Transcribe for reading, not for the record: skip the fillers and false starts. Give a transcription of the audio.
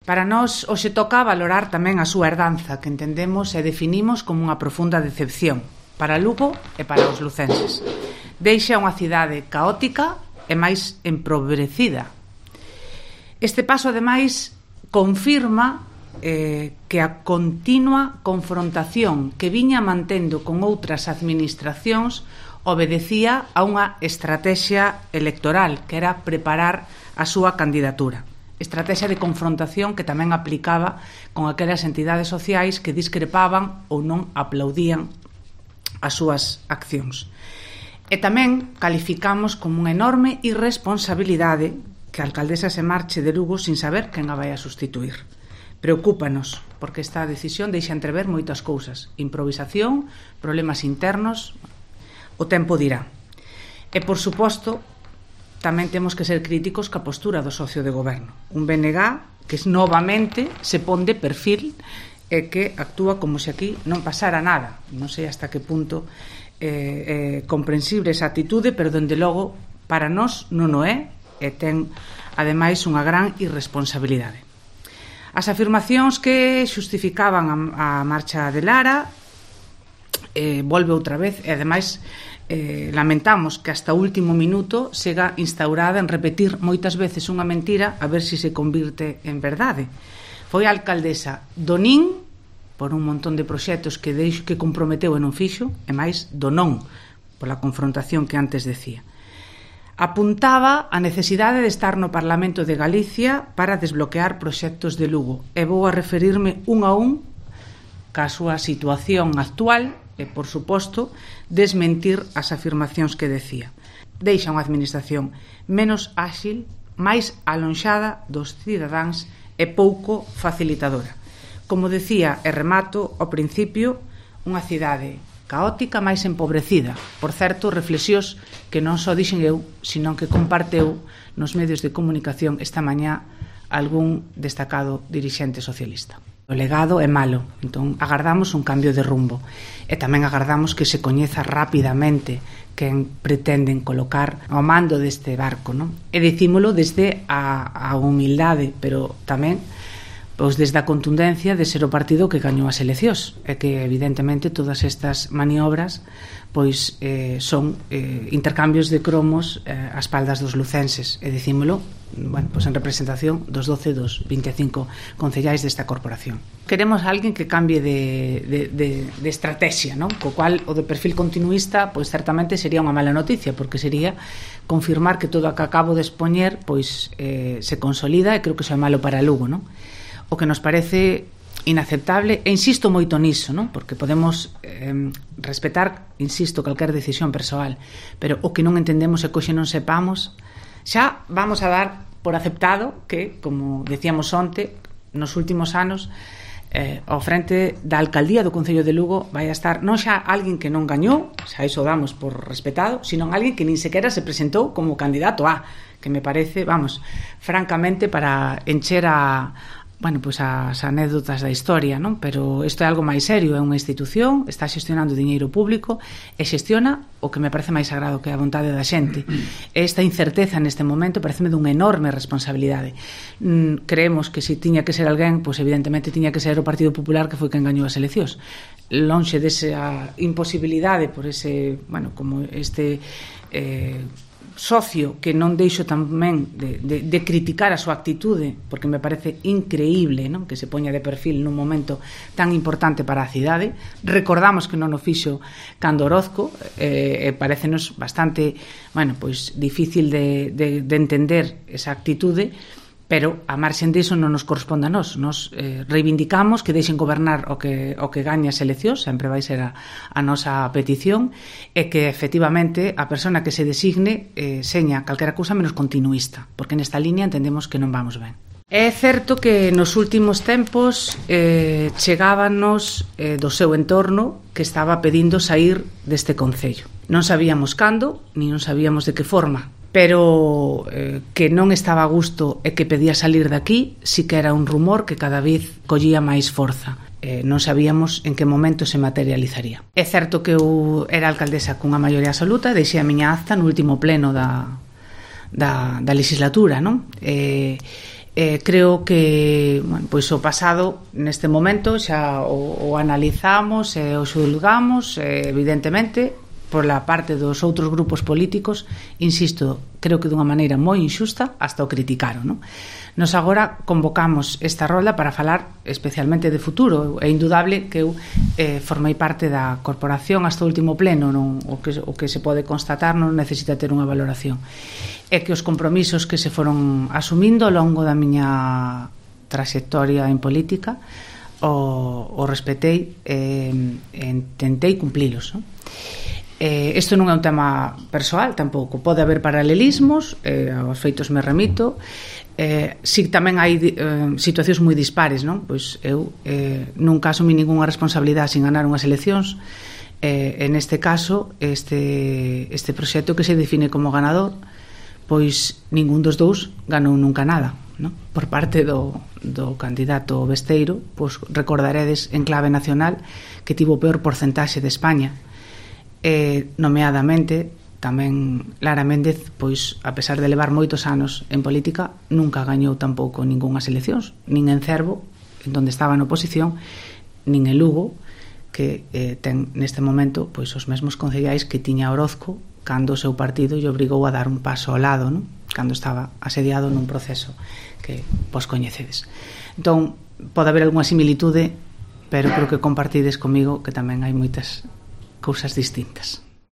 Para nós, hoxe toca valorar tamén a súa herdanza, que entendemos e definimos como unha profunda decepción para Lugo e para os lucenses. Deixa unha cidade caótica e máis empobrecida. Este paso, ademais, confirma que a continua confrontación que viña mantendo con outras administracións obedecía a unha estrategia electoral, que era preparar a súa candidatura. Estrategia de confrontación que tamén aplicaba con aquelas entidades sociais que discrepaban ou non aplaudían as súas accións. E tamén calificamos como unha enorme irresponsabilidade que a alcaldesa se marche de Lugo sin saber quen a vai a sustituir. Preocúpanos, porque esta decisión deixa entrever moitas cousas. Improvisación, problemas internos, o tempo dirá. E, por suposto, tamén temos que ser críticos ca postura do socio de goberno. Un BNG que novamente se pon de perfil e que actúa como se aquí non pasara nada. Non sei hasta que punto comprensible esa atitude, pero dende logo para nós non o é e ten, ademais, unha gran irresponsabilidade. As afirmacións que xustificaban a marcha de Lara volve outra vez e, ademais, lamentamos que hasta o último minuto sega instaurada en repetir moitas veces unha mentira a ver se se convirte en verdade. Foi a alcaldesa do nin por un montón de proxectos que comprometeu e non fixo, e máis do non, pola confrontación que antes decía. Apuntaba a necesidade de estar no Parlamento de Galicia para desbloquear proxectos de Lugo, e vou a referirme un a un ca súa situación actual e, por suposto, desmentir as afirmacións que decía. Deixa unha administración menos áxil, máis alonxada dos cidadáns e pouco facilitadora. Como decía e remato ao principio, unha cidade caótica máis empobrecida. Por certo, reflexións que non só dixen eu, sino que comparteu nos medios de comunicación esta mañá algún destacado dirixente socialista. O legado é malo, entón agardamos un cambio de rumbo e tamén agardamos que se coñeza rapidamente quen pretenden colocar ao mando deste barco, non? E dicímolo desde a humildade, pero tamén pois desde a contundencia de ser o partido que gañou as eleccións e que evidentemente todas estas maniobras pois son intercambios de cromos ás espaldas dos lucenses e dicímolo pois en representación dos 12 dos 25 concellais desta corporación. Queremos alguén que cambie de estrategia, non? Co cual o de perfil continuista pois certamente sería unha mala noticia, porque sería confirmar que todo o que acabo de expoñer pois se consolida, e creo que iso é malo para Lugo, non? O que nos parece inaceptable, e insisto moito niso, non? Porque podemos respetar, insisto, calquer decisión persoal, pero o que non entendemos é que hoxe non sepamos. Xa vamos a dar por aceptado que, como decíamos onte, nos últimos anos ao frente da alcaldía do Concello de Lugo vai a estar non xa alguén que non gañou, xa iso damos por respetado, sino alguén que nin sequera se presentou como candidato a, que me parece, francamente, para encher as anécdotas da historia, non? Pero isto é algo máis serio, é unha institución, está xestionando diñeiro público e xestiona o que me parece máis sagrado, que é a vontade da xente. Esta incerteza neste momento pareceme dunha enorme responsabilidade. Creemos que se tiña que ser alguén, pois evidentemente tiña que ser o Partido Popular, que foi quen gañou as eleccións. Lonxe desa imposibilidade por ese, como este socio que non deixo tamén de criticar a súa actitude, porque me parece increíble, non? Que se poña de perfil nun momento tan importante para a cidade. Recordamos que non o fixo cando Orozco, parecenos bastante difícil de entender esa actitude, pero a marxen diso non nos corresponde a nós. Nos reivindicamos que deixen gobernar o que gaña as eleccións, sempre vai ser a nosa petición, e que efectivamente a persona que se designe seña calquera cousa menos continuista, porque nesta línea entendemos que non vamos ben. É certo que nos últimos tempos chegábanos do seu entorno que estaba pedindo sair deste concello. Non sabíamos cando, ni non sabíamos de que forma, pero que non estaba a gusto e que pedía salir daqui, sí que era un rumor que cada vez collía máis forza. Non sabíamos en que momento se materializaría. É certo que eu era alcaldesa cunha maioría absoluta, deixei a miña acta no último pleno da legislatura, non? Creo que pois o pasado neste momento xa o analizamos e o xulgamos, evidentemente pola parte dos outros grupos políticos, insisto, creo que dunha maneira moi injusta, hasta o criticaron, non? Nos agora convocamos esta rolda para falar especialmente de futuro. É indudable que eu formei parte da corporación hasta o último pleno, non? O que se pode constatar non necesita ter unha valoración. É que os compromisos que se foron asumindo ao longo da miña traxectoria en política o respetei e tentei cumplilos, non? Isto non é un tema persoal tampouco, pode haber paralelismos, aos feitos me remito. Si tamén hai situacións moi dispares, non? Pois eu nunca asumí ningunha responsabilidade sin ganar unhas eleccións. En este caso, este proxecto que se define como ganador, pois ningún dos dous ganou nunca nada, non? Por parte do candidato Besteiro, pois recordaredes en clave nacional que tivo o peor porcentaxe de España. Nomeadamente tamén Lara Méndez, pois a pesar de levar moitos anos en política, nunca gañou tampouco ningunhas eleccións, nin en Cervo, en donde estaba na oposición, nin en Lugo, que ten neste momento pois os mesmos concellais que tiña Orozco cando o seu partido lle obrigou a dar un paso ao lado, non? Cando estaba asediado nun proceso que vos coñecedes. Entón, pode haber algunha similitude, pero creo que compartides comigo que tamén hai moitas cousas distintas.